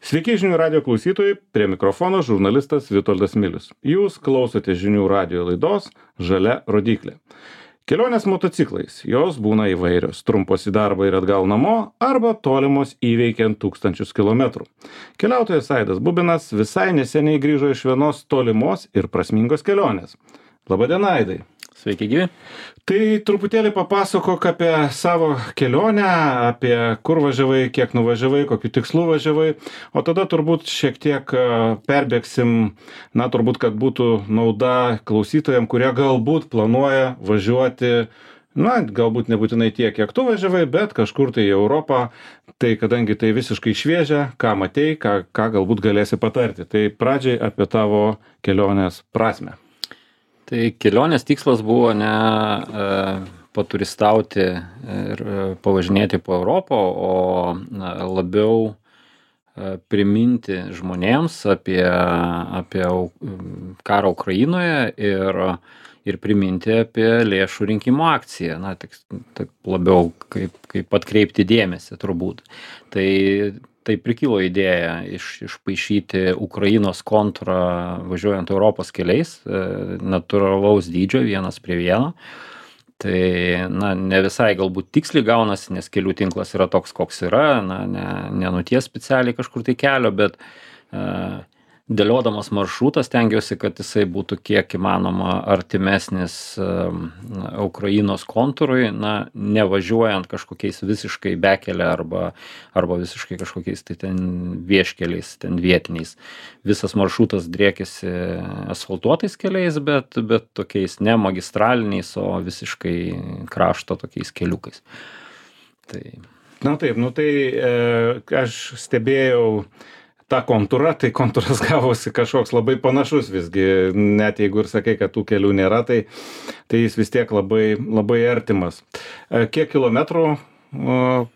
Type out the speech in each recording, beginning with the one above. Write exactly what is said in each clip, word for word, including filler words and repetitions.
Sveiki žinių radio klausytojai, prie mikrofono žurnalistas Vitoldas Milius. Jūs klausote žinių radio laidos Žalia rodyklė. Kelionės motociklais, jos būna įvairios, trumpos į darbą ir atgal namo, arba tolimos įveikiant tūkstančius kilometrų. Keliautojas Aidas Bubinas visai neseniai grįžo iš vienos tolimos ir prasmingos kelionės. Labadiena, Aidai. Sveiki, gyvi. Tai truputėlį papasakok apie savo kelionę, apie kur važiavai, kiek nuvažiavai, kokiu tikslu važiavai, o tada turbūt šiek tiek perbėgsim, na turbūt, kad būtų nauda klausytojams, kurie galbūt planuoja važiuoti, na galbūt nebūtinai tiek, kiek tu važiavai, bet kažkur tai į Europą, tai kadangi tai visiškai šviežia, ką matei, ką, ką galbūt galėsi patarti. Tai pradžiai apie tavo kelionės prasmę. Tai kelionės tikslas buvo ne e, paturistauti ir e, pavažinėti po Europą, o na, labiau e, priminti žmonėms apie, apie karą Ukrainoje ir, ir priminti apie lėšų rinkimo akciją. Na, tik, tik labiau kaip, kaip atkreipti dėmesį turbūt. Tai Tai prikilo idėja iš, išpaišyti Ukrainos kontrą važiuojant Europos keliais, natūralaus dydžio, vienas prie vieno. Tai na, ne visai galbūt tiksliai gaunasi, nes kelių tinklas yra toks, koks yra, na, ne, nenuties specialiai kažkur tai kelio, bet uh, dėliodamas maršrutą stengiausi, kad jisai būtų kiek įmanoma artimesnis um, Ukrainos kontūrui, na, nevažiuojant kažkokiais visiškai bekelė arba, arba visiškai kažkokiais tai ten vieškeliais, ten vietiniais. Visas maršrutas driekėsi asfaltuotais keliais, bet, bet tokiais ne magistraliniais, o visiškai krašto tokiais keliukais. Tai... Na taip, nu tai e, aš stebėjau tą kontūrą, tai kontūras gavosi kažkoks labai panašus visgi, net jeigu ir sakai, kad tų kelių nėra, tai, tai jis vis tiek labai, labai artimas. Kiek kilometrų uh,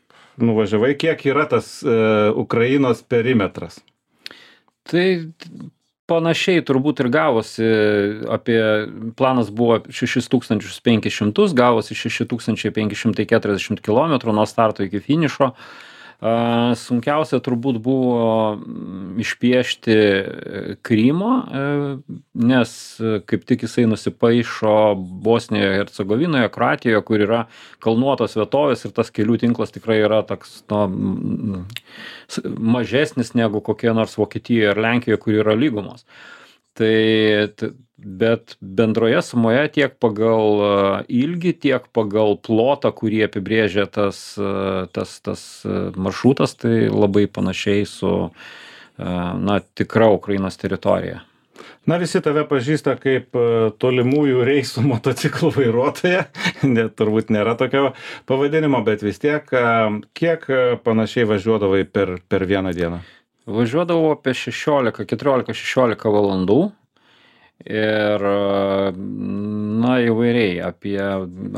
nuvažiavai, kiek yra tas uh, Ukrainos perimetras? Tai panašiai turbūt ir gavosi, apie planas buvo šešis tūkstančius penkis šimtus, gavosi šeši tūkstančiai penki šimtai keturiasdešimt kilometrų nuo starto iki finišo. Sunkiausia turbūt buvo išpiešti Krymo, nes kaip tik jisai nusipaišo Bosnijoje, Hercegovinoje, Kroatijoje, kur yra kalnuotos vietovės ir tas kelių tinklas tikrai yra toks, nu, mažesnis negu kokie nors Vokietijoje ar Lenkijoje, kur yra lygumos. Tai, bet bendroje sumoje tiek pagal ilgį, tiek pagal plotą, kurį apibrėžia tas, tas, tas maršrutas, tai labai panašiai su, na, tikra Ukrainos teritorija. Na, visi tave pažįsta kaip tolimųjų reisų motociklų vairuotoja, net turbūt nėra tokio pavadinimo, bet vis tiek, kiek panašiai važiuodavai per, per vieną dieną? Važiuodavau apie šešiolika, keturiolika šešiolika valandų ir, na, įvairiai, apie,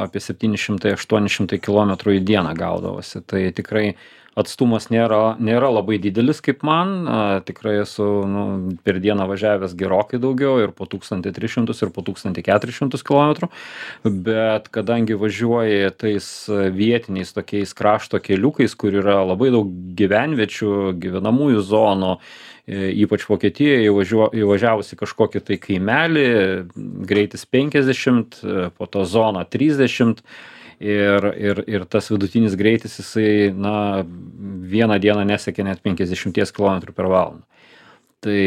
apie septyni šimtai aštuoni šimtai kilometrų į dieną gaudavosi. Tai tikrai atstumas nėra, nėra labai didelis kaip man, tikrai esu nu, per dieną važiavęs gerokai daugiau ir po tūkstantį tris šimtus ir po tūkstantį keturis šimtus kilometrų, bet kadangi važiuoji tais vietiniais tokiais krašto keliukais, kur yra labai daug gyvenviečių, gyvenamųjų zonų, ypač Vokietijoje įvažiavusi kažkokį tai kaimelį, greitis penkiasdešimt, po to zona trisdešimt, Ir, ir, ir tas vidutinis greitis, jisai, na, vieną dieną nesiekia net penkiasdešimt kilometrų per valandą. Tai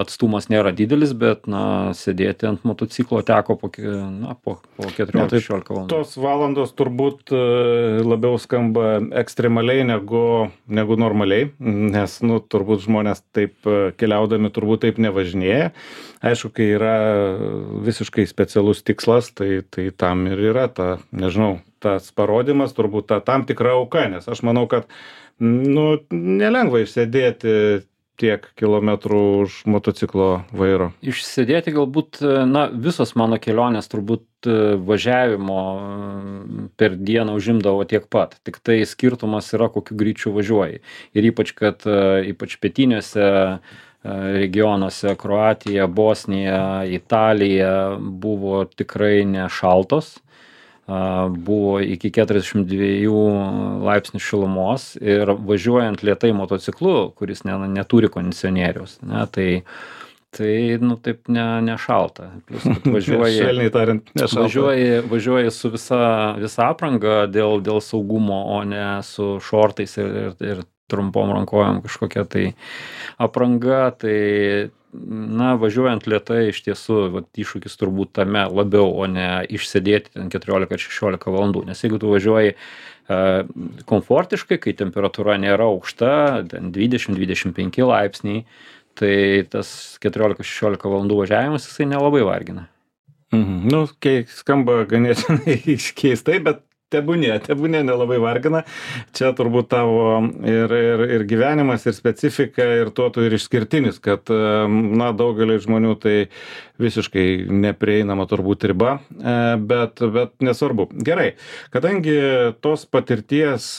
atstumas nėra didelis, bet, na, sėdėti ant motociklo teko po, na, po, po keturiolika šešiolika valandų. Tos valandos turbūt labiau skamba ekstremaliai negu, negu normaliai, nes, nu, turbūt žmonės taip keliaudami turbūt taip nevažinėja. Aišku, kai yra visiškai specialus tikslas, tai, tai tam ir yra ta, nežinau, tas parodymas, turbūt ta tam tikra auka, nes aš manau, kad, nu, nelengva išsėdėti tiek kilometrų už motociklo vairo. Išsėdėti galbūt, na, visos mano kelionės turbūt važiavimo per dieną užimdavo tiek pat. Tik tai skirtumas yra, kokiu greičiu važiuoji. Ir ypač, kad ypač pietiniuose regionuose, Kroatija, Bosnija, Italija buvo tikrai nešaltos. buvo iki keturiasdešimt dviejų laipsnių šilumos ir važiuojant lėtai motociklu, kuris ne, neturi kondicionieriaus, ne, tai Tai, nu, taip ne, nešalta. Plus, važiuoji, švelniai tariant, nešalta. Važiuoji, važiuoji su visa, visa apranga dėl, dėl saugumo, o ne su šortais ir, ir, ir trumpom rankojom kažkokia tai apranga. Tai, na, važiuojant lėtai iš tiesų, vat, iššūkis turbūt tame labiau, o ne išsėdėti ten keturiolika ar šešiolika valandų. Nes jeigu tu važiuoji uh, komfortiškai, kai temperatūra nėra aukšta, ten dvidešimt dvidešimt penki laipsniai, tai tas keturiolika šešiolika valandų važiavimas jisai nelabai vargina. Mhm. Nu, kai skamba ganėtinai keistai, bet tebūnė, tebūnė nelabai vargina. Čia turbūt tavo ir, ir, ir gyvenimas, ir specifika, ir tuo tu ir išskirtinis, kad, na, daugeliai žmonių tai visiškai neprieinama turbūt riba, bet, bet nesvarbu. Gerai, kadangi tos patirties,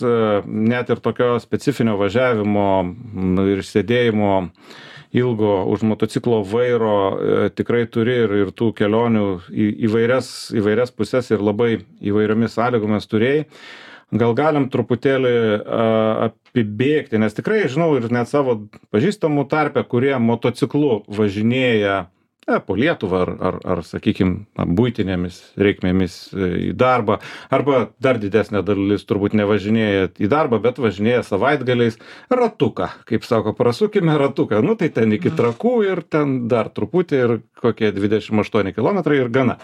net ir tokio specifinio važiavimo ir sėdėjimo ilgo už motociklo vairo e, tikrai turi ir, ir tų kelionių į įvairias, įvairias pusės ir labai įvairiomis sąlygomis turėjai. Gal galim truputėlį a, apibėgti, nes tikrai žinau ir net savo pažįstamų tarpe, kurie motociklu važinėja e, po Lietuvą ar, ar, ar sakykime, buitinėmis reikmėmis į darbą, arba dar didesnė dalis turbūt nevažinėja į darbą, bet važinėja savaitgaliais ratuką, kaip sako, prasukime ratuką, nu tai ten iki Trakų ir ten dar truputį ir kokie dvidešimt aštuoni kilometrai ir gana.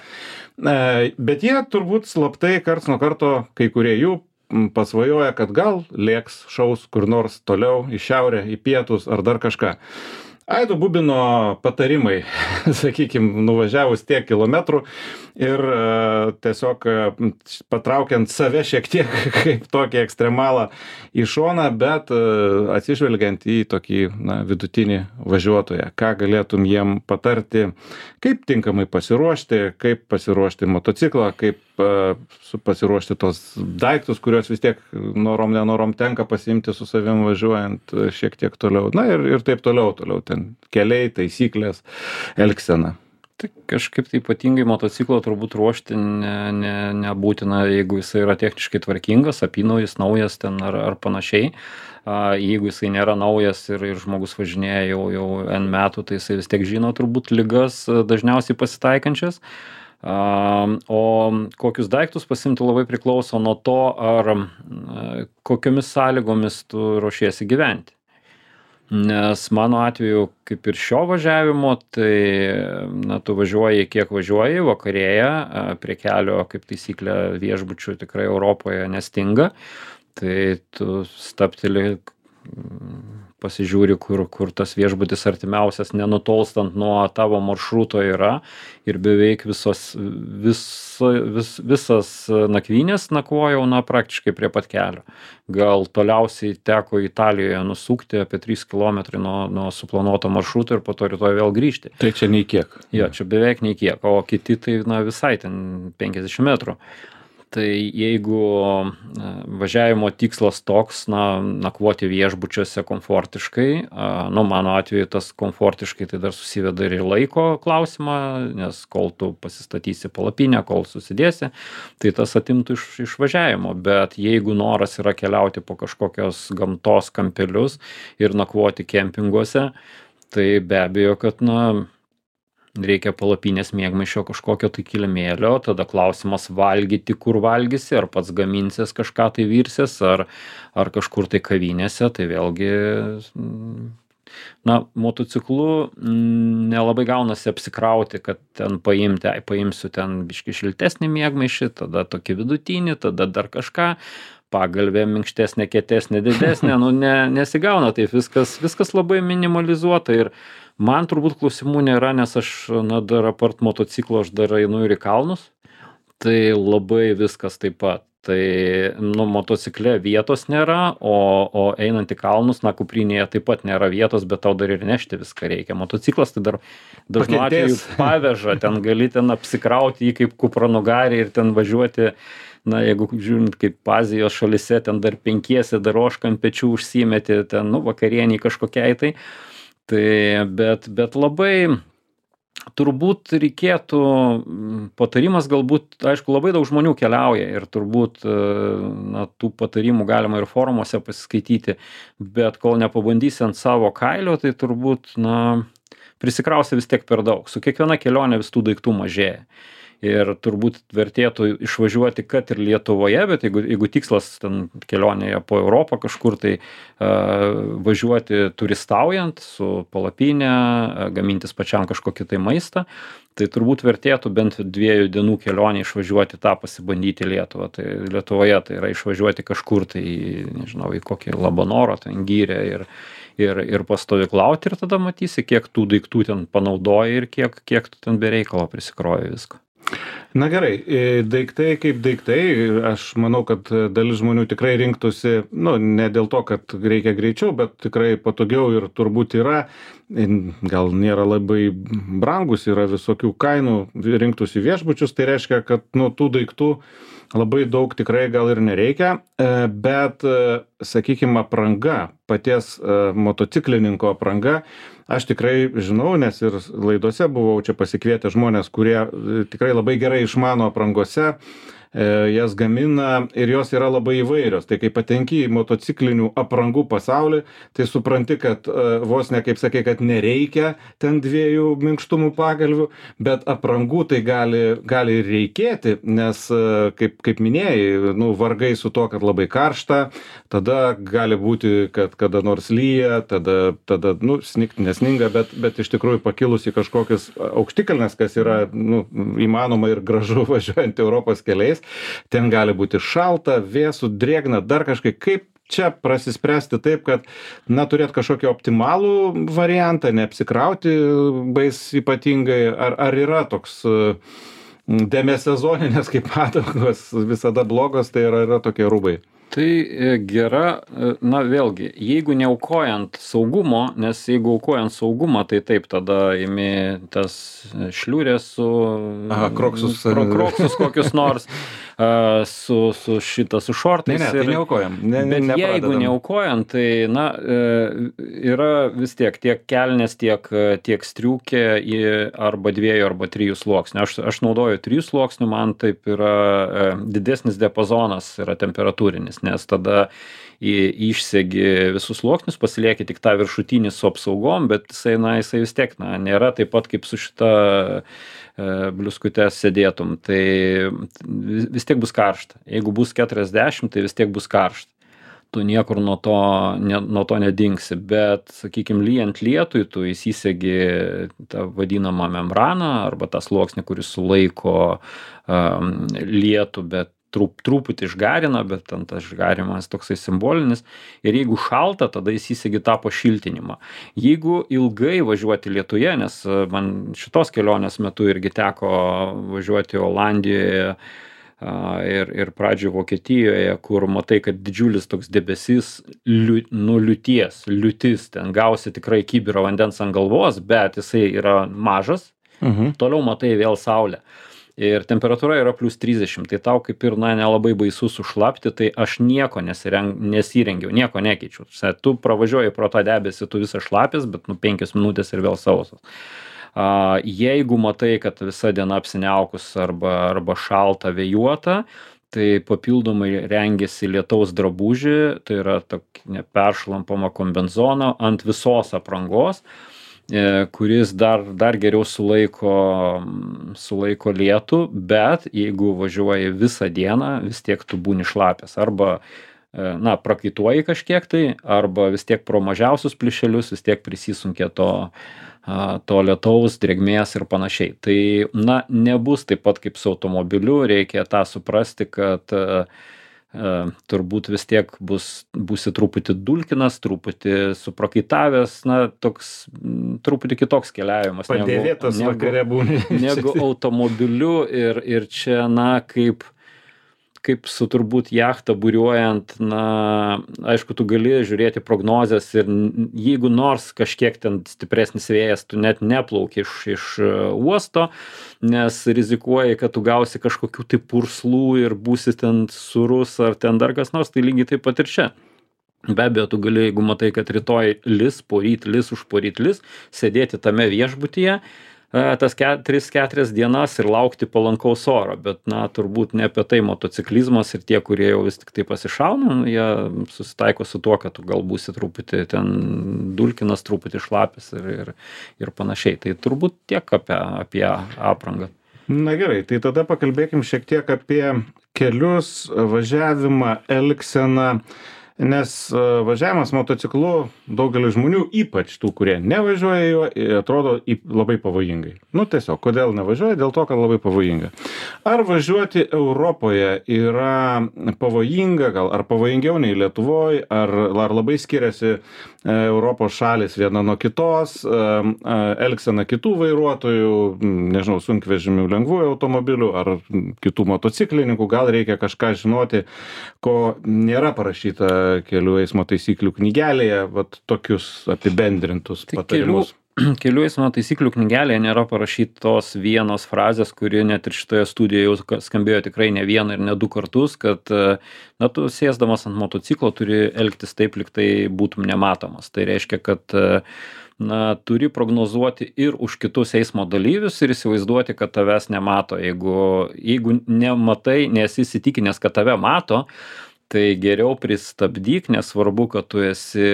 E, bet jie turbūt slaptai karts nuo karto, kai kurie jų pasvajoja, kad gal lėks šaus kur nors toliau į šiaurę, į pietus ar dar kažką. Aido Bubino patarimai, sakykime, nuvažiavus tiek kilometrų ir uh, tiesiog uh, patraukiant save šiek tiek kaip tokį ekstremalą į šoną, bet uh, atsižvelgiant į tokį, na, vidutinį važiuotoją. Ką galėtum jiem patarti, kaip tinkamai pasiruošti, kaip pasiruošti motociklą, kaip uh, pasiruošti tos daiktus, kuriuos vis tiek norom nenorom tenka pasiimti su savim važiuojant uh, šiek tiek toliau. Na ir, ir taip toliau, toliau ten keliai, taisyklės, elgsena. Tai kažkaip tai ypatingai motociklo turbūt ruošti ne, ne, nebūtina, jeigu jisai yra techniškai tvarkingas, apynaujis, naujas ten ar, ar panašiai. A, jeigu jisai nėra naujas ir, ir žmogus važinėja jau, jau N metų, tai jisai vis tiek žino turbūt ligas dažniausiai pasitaikančias. A, o kokius daiktus pasimti labai priklauso nuo to, ar a, kokiomis sąlygomis tu ruošiesi gyventi. Nes mano atveju, kaip ir šio važiavimo, tai, na, tu važiuoji kiek važiuoji, vakarėja, prie kelio, kaip taisyklė, viešbučių tikrai Europoje nestinga, tai tu stapteli, pasižiūri, kur, kur tas viešbutis artimiausias, nenutolstant nuo tavo maršruto yra ir beveik visos, vis, vis, visas nakvynės nakvojau, na, praktiškai prie pat kelio. Gal toliausiai teko Italijoje nusukti apie trys kilometrai nuo, nuo suplanuoto maršruto ir po to rytoj vėl grįžti. Tai čia nei kiek. Jo, čia beveik nei kiek, o kiti tai, na, visai ten penkiasdešimt metrų. Tai jeigu važiavimo tikslas toks, na, nakvoti viešbučiuose komfortiškai, nu, mano atveju tas komfortiškai tai dar susiveda ir į laiko klausimą, nes kol tu pasistatysi palapinę, kol susidėsi, tai tas atimtų iš, iš važiavimo. Bet jeigu noras yra keliauti po kažkokios gamtos kampelius ir nakvoti kempinguose, tai be abejo, kad, na, reikia palapinės miegmaišio kažkokio tai kilimėlio, tada klausimas valgyti, kur valgysi, ar pats gaminsies kažką tai virsies, ar, ar kažkur tai kavinėse, tai vėlgi, na, motociklu nelabai gaunasi apsikrauti, kad ten paimti, ai, paimsiu ten biškį šiltesnį miegmaišį, tada tokį vidutinį, tada dar kažką, pagalvė minkštesnė, kietesnė, didesnė, nu, ne, nesigauna, taip viskas, viskas labai minimalizuota ir man turbūt klausimų nėra, nes aš, na, dar apart motociklo aš dar einu ir į kalnus, tai labai viskas taip pat. Tai, nu, motocikle vietos nėra, o, o einant į kalnus, na, kuprinėje taip pat nėra vietos, bet tau dar ir nešti viską reikia. Motociklas tai dar dažnu atveju paveža, ten gali ten apsikrauti jį kaip kupranugarį ir ten važiuoti, na, jeigu žiūrint kaip Azijos šalyse, ten dar penkiesi, dar ožką ant pečių užsimeti, ten, nu, vakarieniai kažkokiai tai. Tai bet, bet labai, turbūt reikėtų, patarimas galbūt, aišku, labai daug žmonių keliauja ir turbūt, na, tų patarimų galima ir forumuose pasiskaityti, bet kol nepabandysi ant savo kailio, tai turbūt, na, prisikrausi vis tiek per daug. Su kiekviena kelionė vis tų daiktų mažėja. Ir turbūt vertėtų išvažiuoti, kad ir Lietuvoje, bet jeigu, jeigu tikslas ten kelionėje po Europą kažkur, tai uh, važiuoti turistaujant su palapinė, uh, gamintis pačiam kažkokį tai maistą, tai turbūt vertėtų bent dviejų dienų kelionę išvažiuoti tą pasibandyti Lietuvą. Tai Lietuvoje tai yra išvažiuoti kažkur, tai nežinau, į kokį Labanorą, ten Gyrę ir, ir, ir pastovyklauti ir tada matysi, kiek tų daiktų ten panaudoji ir kiek, kiek tu ten be reikalo prisikroji visko. Na gerai, daiktai kaip daiktai, aš manau, kad dalis žmonių tikrai rinktųsi, nu, ne dėl to, kad reikia greičiau, bet tikrai patogiau ir turbūt yra, gal nėra labai brangus, yra visokių kainų, rinktųsi viešbučius, tai reiškia, kad nu, tų daiktų labai daug tikrai gal ir nereikia, bet, sakykime, apranga, paties motociklininko apranga, aš tikrai žinau, nes ir laidose buvau čia pasikvietę žmonės, kurie tikrai labai gerai išmano aprangose, jas gamina ir jos yra labai įvairios. Tai kai patenki į motociklinių aprangų pasaulį, tai supranti, kad vos ne kaip sakė, kad nereikia ten dviejų minkštumų pagalvių, bet aprangų tai gali, gali ir reikėti, nes kaip, kaip minėjai, nu, vargai su to, kad labai karšta, tada gali būti, kad kada nors lyja, tada, tada nu, snigt nesninga, bet, bet iš tikrųjų pakilus į kažkokius aukštikalnes, kas yra nu, įmanoma ir gražu važiuojant Europos keliais, ten gali būti šalta, vėsų, drėgna, dar kažkaip, kaip čia prasispręsti taip, kad, na, turėt kažkokį optimalų variantą, neapsikrauti bais ypatingai, ar, ar yra toks demesezoninės kaip padangos visada blogos, tai yra, yra tokie rūbai? Tai gera, na vėlgi, jeigu neaukojant saugumo, nes jeigu aukojant saugumą, tai taip, tada imi tas šliūrės su... Aha, kroksus. Kro, kroksus kokius nors, su, su šitą, su šortais. Ne, ne, tai neaukojam. Ne, ne, bet jeigu neaukojant, tai, na, yra vis tiek tiek kelnės, tiek, tiek striukė arba dviejų, arba trijų sluoksnių. Aš, aš naudoju trijų sluoksnių, man taip yra didesnis diapazonas, yra temperatūrinis, nes tada išsegi visus sluoksnius, pasilieki tik tą viršutinį su apsaugom, bet jisai, na, jisai vis tiek, na, nėra taip pat kaip su šita e, bliuskute sėdėtum, tai vis tiek bus karšta. Jeigu bus keturiasdešimt, tai vis tiek bus karšta. Tu niekur nuo to, ne, nuo to nedingsi, bet, sakykime, lyjant lietui, tu įsisegi tą vadinamą membraną arba tą sluoksnį, kuris sulaiko um, lietų, bet trup, truputį išgarina, bet ten tas išgarimas toksai simbolinis. Ir jeigu šalta, tada įsisegi tą pašiltinimą. Jeigu ilgai važiuoti Lietuje, nes man šitos kelionės metu irgi teko važiuoti Olandijoje ir, ir pradžioje Vokietijoje, kur matai, kad didžiulis toks debesis liu, nu liūties, liūtis, ten gausi tikrai kibirą vandens ant galvos, bet jisai yra mažas, mhm. Toliau matai vėl saulę. Ir temperatūra yra plus trisdešimt, tai tau kaip ir, na, nelabai baisu sušlapti, tai aš nieko nesireng, nesirengiau, nieko nekeičiu. Tu pravažiuoji pro tą debesį, tu visą šlapis, bet nu penkios minutės ir vėl sausas. Uh, jeigu matai, kad visa diena apsiniaukus arba, arba šalta vėjuota, tai papildomai rengiasi lietaus drabužį, tai yra tokia peršlampama kombenzono ant visos aprangos, kuris dar, dar geriau sulaiko, sulaiko lietų, bet jeigu važiuoji visą dieną, vis tiek tu būni šlapęs. Arba, na, prakaituoji kažkiek tai, arba vis tiek pro mažiausius plyšelius vis tiek prisisunkia to, to lietaus, drėgmės ir panašiai. Tai, na, nebus taip pat kaip su automobiliu, reikia tą suprasti, kad Uh, turbūt vis tiek bus, būsi truputį dulkinas, truputį suprakaitavęs, na, toks truputį kitoks keliavimas. Padėvėtas vakare būni. Negu automobiliu ir, ir čia, na, kaip, kaip su turbūt jachta buriuojant, na, aišku, tu gali žiūrėti prognozes ir jeigu nors kažkiek ten stipresnis vėjas, tu net neplauki iš, iš uosto, nes rizikuoji, kad tu gausi kažkokių tai purslų ir būsi ten surus ar ten dar kas nors, tai lygiai taip pat ir čia. Be abejo, tu gali, jeigu matai, kad rytoj lis, poryt lis, už poryt lis, sėdėti tame viešbutyje, tas tris keturias dienas ir laukti palankaus oro, bet, na, turbūt ne apie tai motociklizmas ir tie, kurie jau vis tik tai pasišauna, jie susitaiko su tuo, kad tu gal būsi truputį ten dulkinas, truputį šlapis ir, ir, ir panašiai. Tai turbūt tiek apie, apie aprangą. Na gerai, tai tada pakalbėkim šiek tiek apie kelius, važiavimą, elgseną. Nes važiavimas motociklu daugeliu žmonių, ypač tų, kurie nevažiuoja juo, atrodo labai pavojingai. Nu tiesiog, kodėl nevažiuoja? Dėl to, kad labai pavojinga. Ar važiuoti Europoje yra pavojinga, gal ar pavojingiau nei Lietuvoje, ar, ar labai skiriasi Europos šalis viena nuo kitos, elgsena kitų vairuotojų, nežinau, sunkvežimių, lengvųjų automobilių ar kitų motociklininkų, gal reikia kažką žinoti, ko nėra parašyta kelių eismo taisyklių knygelėje, vat tokius apibendrintus tai patarimus. Kelių, kelių eismo taisyklių knygelėje nėra parašytos vienos frazės, kuri net ir šitoje studijoje jau skambėjo tikrai ne vieną ir ne du kartus, kad, na, tu sėsdamas ant motociklo turi elgtis taip, lyg tai būtum nematomas. Tai reiškia, kad na, turi prognozuoti ir už kitus eismo dalyvius ir įsivaizduoti, kad tavęs nemato. Jeigu, jeigu nematai, nesi įsitikinęs, kad tave mato, tai geriau pristabdyk, nesvarbu, kad tu esi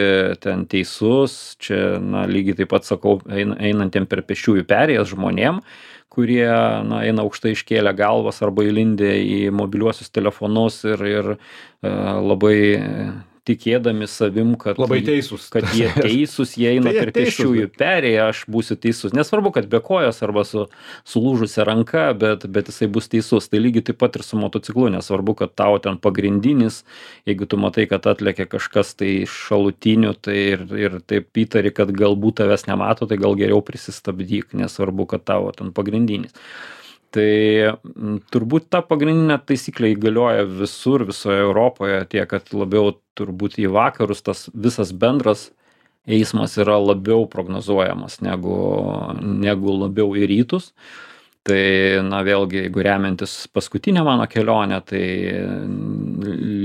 ten teisus. Čia, na, lygiai taip pat sakau, einantiem per pėsčiųjų perėjas žmonėm, kurie, na, eina aukštai iškėlę galvas arba įlindę į mobiliuosius telefonus ir, ir labai tikėdami savim, kad, labai teisus. kad jie teisūs, jie eina per pėsčiųjų perėją, aš būsiu teisus. Nesvarbu, kad be kojos arba su sulūžusia ranka, bet, bet jisai bus teisus. Tai lygiai taip pat ir su motociklu, nesvarbu, kad tau ten pagrindinis, jeigu tu matai, kad atlėkė kažkas tai šalutinių, tai ir, ir taip įtari, kad galbūt tavęs nemato, tai gal geriau prisistabdyk, nesvarbu, kad tavo ten pagrindinis. Tai turbūt ta pagrindinė taisyklė įgalioja visur, visoje Europoje, tiek, kad labiau turbūt į vakarus tas visas bendras eismas yra labiau prognozuojamas negu, negu labiau į rytus. Tai, na, vėlgi, jeigu remiantis paskutinę mano kelionę, tai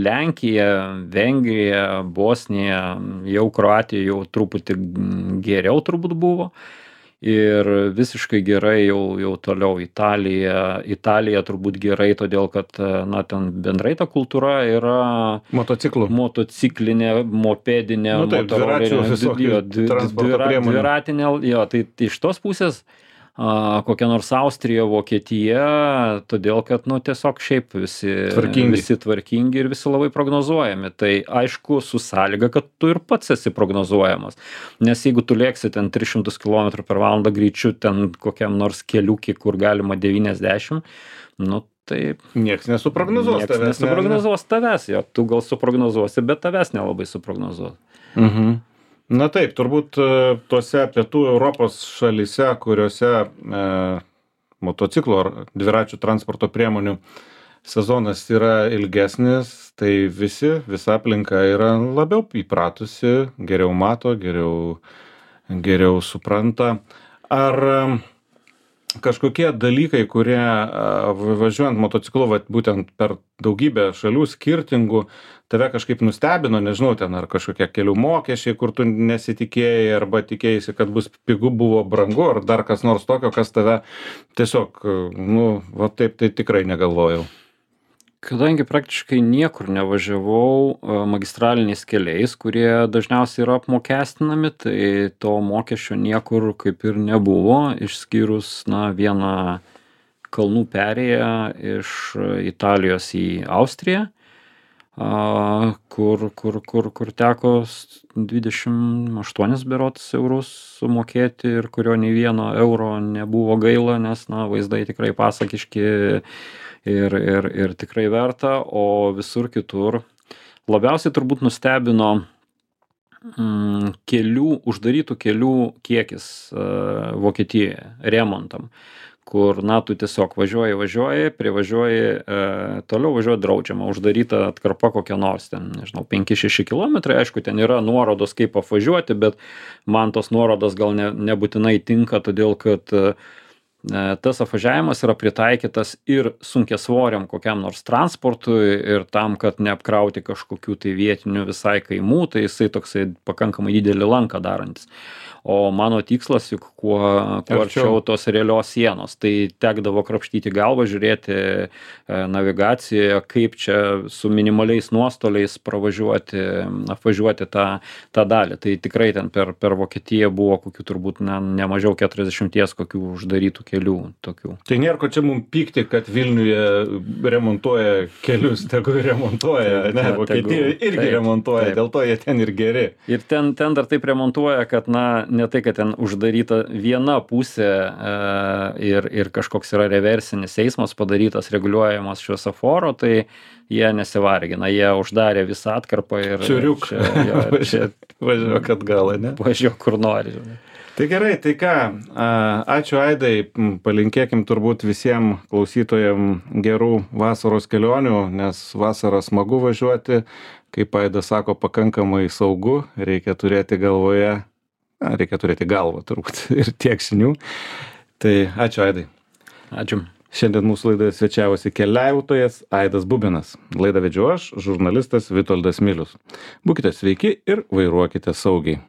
Lenkija, Vengrija, Bosnija, jau Kroatija jau truputį geriau turbūt buvo. Ir visiškai gerai jau, jau toliau Italija. Italija turbūt gerai, todėl kad, na, ten bendrai ta kultūra yra motociklų. Motociklinė, mopedinė, nu, taip, dviračių, jo, dvira, dviratinė. Jo, tai iš tos pusės a, kokia nors Austrija, Vokietija, todėl kad, nu, tiesiog šiaip visi tvarkingi. visi tvarkingi ir visi labai prognozuojami. Tai aišku, su sąlyga, kad tu ir pats esi prognozuojamas. Nes jeigu tu lėksi ten tris šimtus kilometrų per valandą greičiu ten kokiam nors keliukį, kur galima devyniasdešimt, nu, tai nieks nesuprognozuos nieks tavęs. nesuprognozuos tavęs, jo, tu gal suprognozuosi, bet tavęs nelabai suprognozuos. Mhm. Na taip, turbūt tuose pietų Europos šalyse, kuriuose e, motociklo ar dviračių transporto priemonių sezonas yra ilgesnis, tai visi, visa aplinka yra labiau įpratusi, geriau mato, geriau, geriau supranta. Ar kažkokie dalykai, kurie važiuojant motociklu, vat, būtent per daugybę šalių skirtingų, tave kažkaip nustebino, nežinau, ten ar kažkokie kelių mokesčiai, kur tu nesitikėjai, arba tikėjai, kad bus pigu, buvo brangu, ar dar kas nors tokio, kas tave tiesiog, nu, va taip tai tikrai negalvojau. Kadangi praktiškai niekur nevažiavau magistraliniais keliais, kurie dažniausiai yra apmokestinami, tai to mokesčio niekur kaip ir nebuvo, išskyrus, na, vieną kalnų perėją iš Italijos į Austriją, kur, kur, kur, kur teko dvidešimt aštuonis berods eurus sumokėti ir kurio nei vieno euro nebuvo gaila, nes, na, vaizdai tikrai pasakiški ir, ir, ir tikrai verta, o visur kitur labiausiai turbūt nustebino mm, kelių, uždarytų kelių kiekis uh, Vokietijoje remontam, kur, na, tu tiesiog važiuoji, važiuoji, privažiuoji, e, toliau važiuoji draudžiama, uždaryta atkarpa kokia nors, ten, nežinau, penki šeši kilometrai, aišku, ten yra nuorodos, kaip apvažiuoti, bet man tos nuorodos gal ne, nebūtinai tinka, todėl kad e, tas apvažiavimas yra pritaikytas ir sunkiasvoriam kokiam nors transportui ir tam, kad neapkrauti kažkokių tai vietinių visai kaimų, tai jisai toksai pakankamai didelį lanką darantis. o mano tikslas juk kuo kuo arčiau tos realios sienos. Tai tekdavo krapštyti galvą, žiūrėti navigacijoje, kaip čia su minimaliais nuostoliais pravažiuoti, apvažiuoti tą, tą dalį. Tai tikrai ten per, per Vokietiją buvo kokių turbūt ne, ne mažiau keturiasdešimties kokių uždarytų kelių tokių. Tai nėra ko čia mums pykti, kad Vilniuje remontuoja kelius, tegu remontuoja, ne, Vokietijoje irgi taip, remontuoja, taip. Dėl to jie ten ir geri. Ir ten, ten dar taip remontuoja, kad, na, ne tai, kad ten uždaryta viena pusė e, ir, ir kažkoks yra reversinis eismas padarytas, reguliuojamas šviesoforo, tai jie nesivargina, jie uždarė visą atkarpą ir Čiuriuk. Čia, jo, čia važiuok atgal, ne? Važiuok kur nori. Žinai. Tai gerai, tai ką, ačiū Aidai, palinkėkim turbūt visiems klausytojams gerų vasaros kelionių, nes vasarą smagu važiuoti, kaip Aidas sako, pakankamai saugu, reikia turėti galvoje, na, reikia turėti galvą turbūt ir tiek žinių. Tai ačiū Aidai. Ačiū. Šiandien mūsų laidoje svečiavosi keliautojas Aidas Bubinas. Laidą vedžiau aš, žurnalistas Vitoldas Milius. Būkite sveiki ir vairuokite saugiai.